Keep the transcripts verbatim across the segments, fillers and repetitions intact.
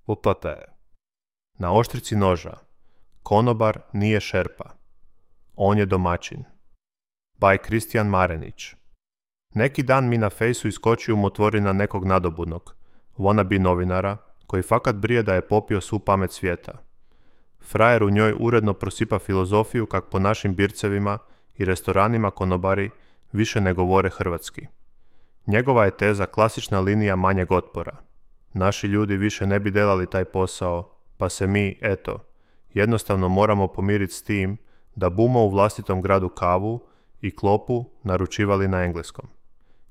Uplata je. Na oštrici noža. Konobar nije šerpa. On je domaćin. By Kristijan Marenić. Neki dan mi na fejsu iskoči umotvorina nekog nadobudnog, wannabe novinara, koji fakat brije da je popio svu pamet svijeta. Frajer u njoj uredno prosipa filozofiju kak po našim bircevima i restoranima konobari više ne govore hrvatski. Njegova je teza klasična linija manjeg otpora. Naši ljudi više ne bi delali taj posao, pa se mi, eto, jednostavno moramo pomiriti s tim da bumo u vlastitom gradu kavu i klopu naručivali na engleskom.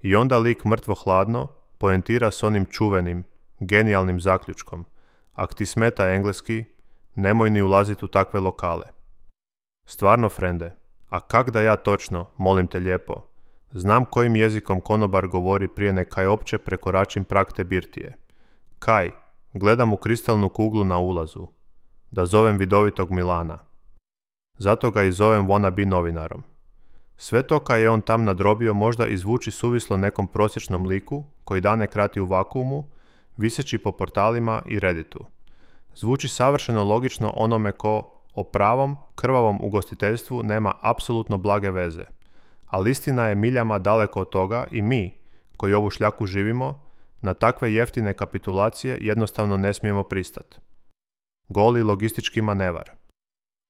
I onda lik mrtvo hladno poentira s onim čuvenim, genijalnim zaključkom: ak ti smeta engleski, nemoj ni ulaziti u takve lokale. Stvarno, frende, a kak da ja točno, molim te lijepo, znam kojim jezikom konobar govori prije nekaj opće prekoračim prag te birtije. Kaj, gledam u kristalnu kuglu na ulazu. Da zovem vidovitog Milana. Zato ga i zovem wannabe novinarom. Sve to kaj je on tam nadrobio možda izvuči suvislo nekom prosječnom liku koji dane krati u vakuumu, viseći po portalima i Redditu. Zvuči savršeno logično onome ko o pravom, krvavom ugostiteljstvu nema apsolutno blage veze. Ali istina je miljama daleko od toga i mi, koji ovu šljaku živimo, na takve jeftine kapitulacije jednostavno ne smijemo pristati. Goli logistički manevar.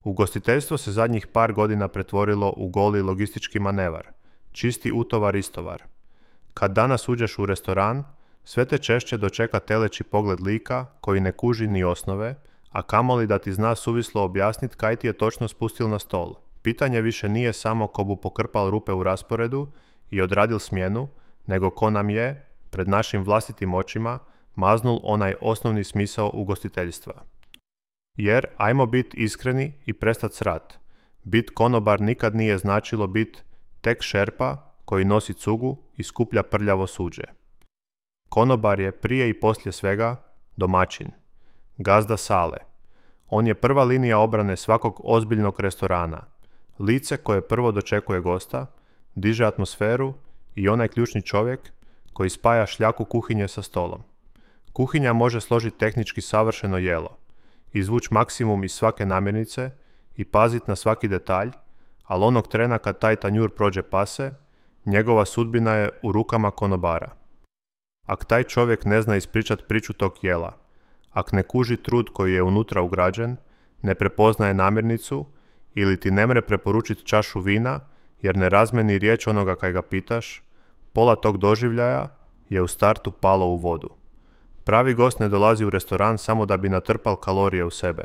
Ugostiteljstvo se zadnjih par godina pretvorilo u goli logistički manevar, čisti utovar istovar. Kad danas uđeš u restoran, sve te češće dočeka teleći pogled lika koji ne kuži ni osnove, a kamoli da ti zna suvislo objasniti kaj ti je točno spustil na stol. Pitanje više nije samo ko bu pokrpal rupe u rasporedu i odradil smjenu, nego ko nam je, pred našim vlastitim očima, maznul onaj osnovni smisao ugostiteljstva. Jer, ajmo biti iskreni i prestat srat, bit konobar nikad nije značilo bit tek šerpa koji nosi cugu i skuplja prljavo suđe. Konobar je prije i poslije svega domaćin, gazda sale. On je prva linija obrane svakog ozbiljnog restorana, lice koje prvo dočekuje gosta, diže atmosferu i onaj ključni čovjek koji spaja šljaku kuhinje sa stolom. Kuhinja može složiti tehnički savršeno jelo, izvući maksimum iz svake namirnice i paziti na svaki detalj, ali onog trena kad taj tanjur prođe pase, njegova sudbina je u rukama konobara. Ak taj čovjek ne zna ispričat priču tog jela, ak ne kuži trud koji je unutra ugrađen, ne prepoznaje namirnicu ili ti ne mre preporučiti čašu vina jer ne razmeni riječ onoga kaj ga pitaš, pola tog doživljaja je u startu palo u vodu. Pravi gost ne dolazi u restoran samo da bi natrpal kalorije u sebe.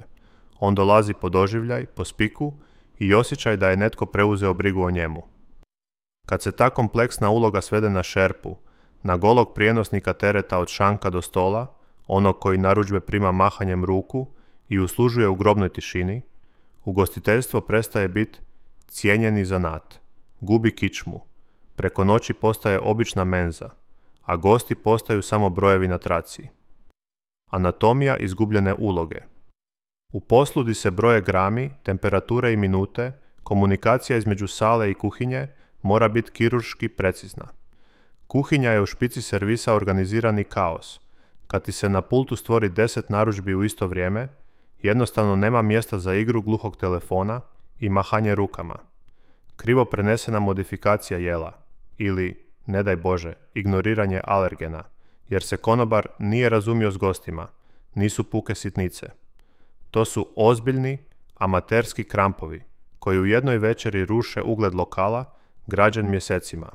On dolazi po doživljaj, po spiku i osjećaj da je netko preuzeo brigu o njemu. Kad se ta kompleksna uloga svede na šerpu, na golog prijenosnika tereta od šanka do stola, onog koji narudžbe prima mahanjem ruku i uslužuje u grobnoj tišini, ugostiteljstvo prestaje biti cijenjeni zanat, gubi kičmu, preko noći postaje obična menza, a gosti postaju samo brojevi na traci. Anatomija izgubljene uloge. U poslu di se broje grami, temperature i minute, komunikacija između sale i kuhinje mora biti kirurški precizna. Kuhinja je u špici servisa organizirani kaos. Kad ti se na pultu stvori deset narudžbi u isto vrijeme, jednostavno nema mjesta za igru gluhog telefona i mahanje rukama. Krivo prenesena modifikacija jela ili, ne daj Bože, ignoriranje alergena, jer se konobar nije razumio s gostima, nisu puke sitnice. To su ozbiljni, amaterski krampovi, koji u jednoj večeri ruše ugled lokala, građen mjesecima,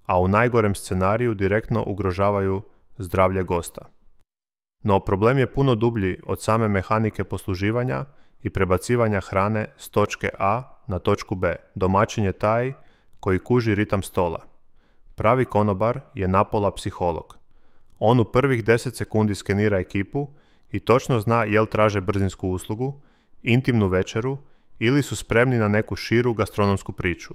a u najgorem scenariju direktno ugrožavaju zdravlje gosta. No problem je puno dublji od same mehanike posluživanja i prebacivanja hrane s točke A na točku B. Domaćin je taj koji kuži ritam stola. Pravi konobar je napola psiholog. On u prvih deset sekundi skenira ekipu i točno zna jel traže brzinsku uslugu, intimnu večeru ili su spremni na neku širu gastronomsku priču.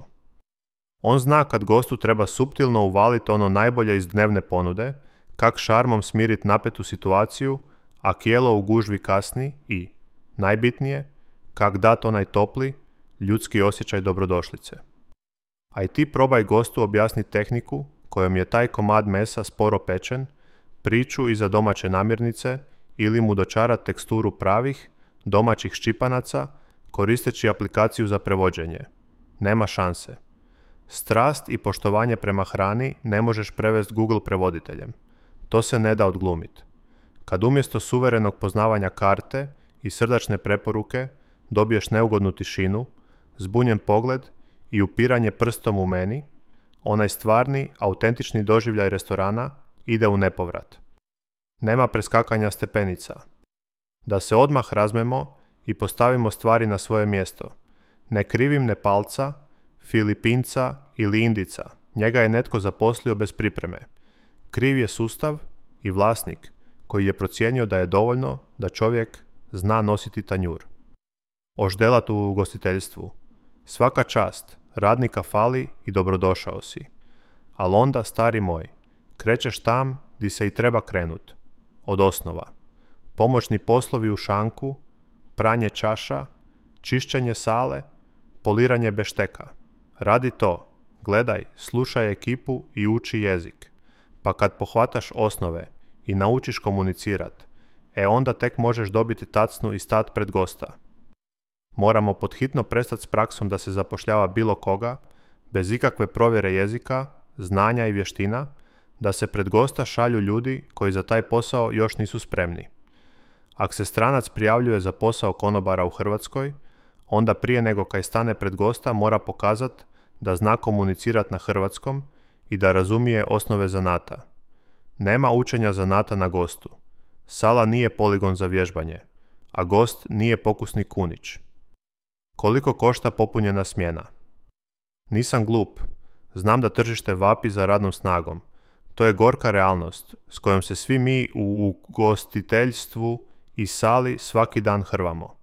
On zna kad gostu treba suptilno uvaliti ono najbolje iz dnevne ponude, kak šarmom smirit napetu situaciju, a kijelo u gužvi kasni i, najbitnije, kak dat onaj topli, ljudski osjećaj dobrodošlice. A i ti probaj gostu objasniti tehniku kojom je taj komad mesa sporo pečen, priču iza domaće namirnice ili mu dočarati teksturu pravih, domaćih ščipanaca, koristeći aplikaciju za prevođenje. Nema šanse. Strast i poštovanje prema hrani ne možeš prevesti Google prevoditeljem. To se ne da odglumiti. Kad umjesto suverenog poznavanja karte i srdačne preporuke dobiješ neugodnu tišinu, zbunjen pogled i upiranje prstom u meni, onaj stvarni, autentični doživljaj restorana ide u nepovrat. Nema preskakanja stepenica. Da se odmah razmemo i postavimo stvari na svoje mjesto. Ne krivim Nepalca, Filipinca ili Indica. Njega je netko zaposlio bez pripreme. Kriv je sustav i vlasnik koji je procijenio da je dovoljno da čovjek zna nositi tanjur. Oždelat u ugostiteljstvu. Svaka čast, radnika fali i dobrodošao si. Al onda, stari moj, krećeš tam di se i treba krenut. Od osnova. Pomoćni poslovi u šanku, pranje čaša, čišćenje sale, poliranje bešteka. Radi to, gledaj, slušaj ekipu i uči jezik. Pa kad pohvataš osnove i naučiš komunicirat, e onda tek možeš dobiti tacnu i stat pred gosta. Moramo podhitno prestati s praksom da se zapošljava bilo koga, bez ikakve provjere jezika, znanja i vještina, da se pred gosta šalju ljudi koji za taj posao još nisu spremni. Ako se stranac prijavljuje za posao konobara u Hrvatskoj, onda prije nego kaj stane pred gosta mora pokazati da zna komunicirati na hrvatskom i da razumije osnove zanata. Nema učenja zanata na gostu. Sala nije poligon za vježbanje, a gost nije pokusni kunić. Koliko košta popunjena smjena? Nisam glup. Znam da tržište vapi za radnom snagom. To je gorka realnost s kojom se svi mi u ugostiteljstvu i sali svaki dan hrvamo.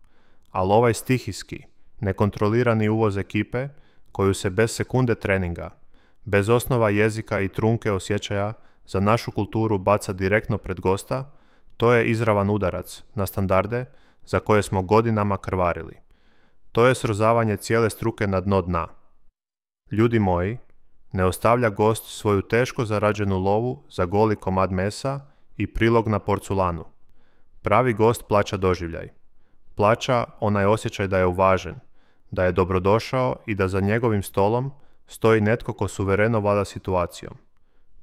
Ali ovaj stihijski, nekontrolirani uvoz ekipe, koju se bez sekunde treninga, bez osnova jezika i trunke osjećaja za našu kulturu baca direktno pred gosta, to je izravan udarac na standarde za koje smo godinama krvarili. To je srozavanje cijele struke na dno dna. Ljudi moji, ne ostavlja gost svoju teško zarađenu lovu za goli komad mesa i prilog na porculanu. Pravi gost plaća doživljaj. Plaća onaj osjećaj da je uvažen, da je dobrodošao i da za njegovim stolom stoji netko ko suvereno vlada situacijom.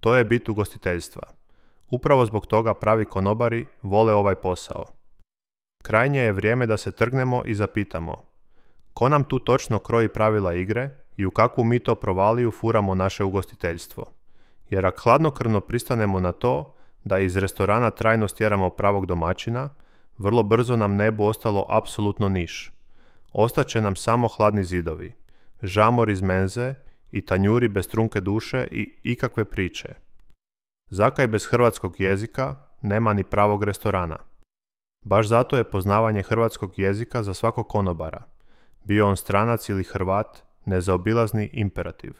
To je bit ugostiteljstva. Upravo zbog toga pravi konobari vole ovaj posao. Krajnje je vrijeme da se trgnemo i zapitamo ko nam tu točno kroji pravila igre i u kakvu mi to provaliju furamo naše ugostiteljstvo. Jer ako hladnokrvno pristanemo na to da iz restorana trajno stjeramo pravog domaćina, vrlo brzo nam ne bu ostalo apsolutno niš. Ostaće nam samo hladni zidovi, žamor iz menze i tanjuri bez trunke duše i ikakve priče. Zakaj bez hrvatskog jezika nema ni pravog restorana. Baš zato je poznavanje hrvatskog jezika za svakog konobara, bio on stranac ili Hrvat, nezaobilazni imperativ.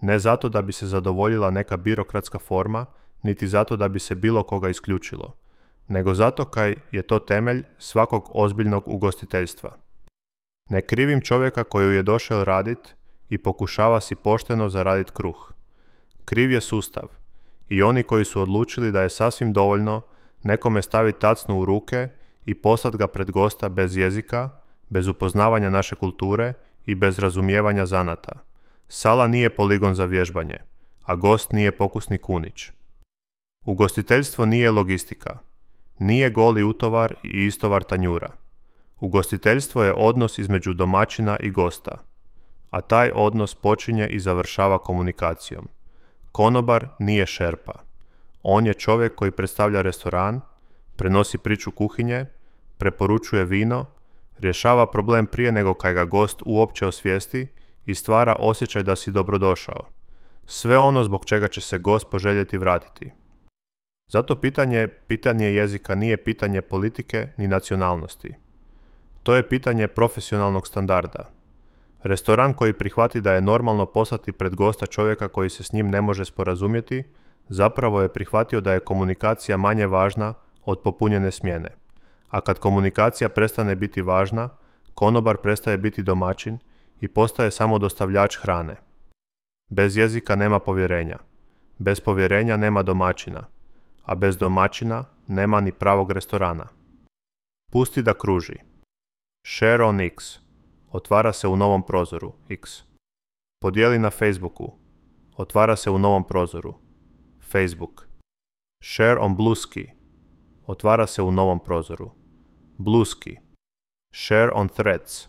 Ne zato da bi se zadovoljila neka birokratska forma, niti zato da bi se bilo koga isključilo, nego zato kaj je to temelj svakog ozbiljnog ugostiteljstva. Ne krivim čovjeka koji je došao radit i pokušava si pošteno zaradit kruh. Kriv je sustav i oni koji su odlučili da je sasvim dovoljno nekome staviti tacnu u ruke i poslat ga pred gosta bez jezika, bez upoznavanja naše kulture i bez razumijevanja zanata. Sala nije poligon za vježbanje, a gost nije pokusni kunić. Ugostiteljstvo nije logistika. Nije goli utovar i istovar tanjura. Ugostiteljstvo je odnos između domaćina i gosta, a taj odnos počinje i završava komunikacijom. Konobar nije šerpa. On je čovjek koji predstavlja restoran, prenosi priču kuhinje, preporučuje vino, rješava problem prije nego kaj ga gost uopće osvijesti i stvara osjećaj da si dobrodošao. Sve ono zbog čega će se gost poželjeti vratiti. Zato pitanje, pitanje jezika nije pitanje politike ni nacionalnosti. To je pitanje profesionalnog standarda. Restoran koji prihvati da je normalno poslati pred gosta čovjeka koji se s njim ne može sporazumjeti, zapravo je prihvatio da je komunikacija manje važna od popunjene smjene. A kad komunikacija prestane biti važna, konobar prestaje biti domaćin i postaje samo dostavljač hrane. Bez jezika nema povjerenja. Bez povjerenja nema domaćina. A bez domaćina nema ni pravog restorana. Pusti da kruži. Share on X. Otvara se u novom prozoru X. Podijeli na Facebooku. Otvara se u novom prozoru Facebook. Share on Bluesky. Otvara se u novom prozoru Bluesky. Share on Threads.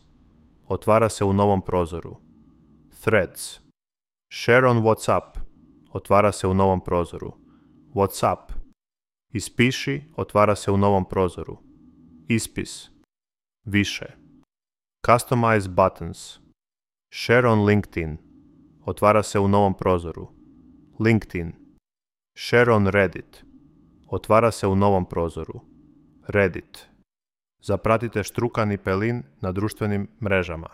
Otvara se u novom prozoru Threads. Share on WhatsApp. Otvara se u novom prozoru WhatsApp. Ispiši. Otvara se u novom prozoru Ispis. Više. Customize buttons. Share on LinkedIn. Otvara se u novom prozoru LinkedIn. Share on Reddit. Otvara se u novom prozoru Reddit. Zapratite Štrukan i Pelin na društvenim mrežama.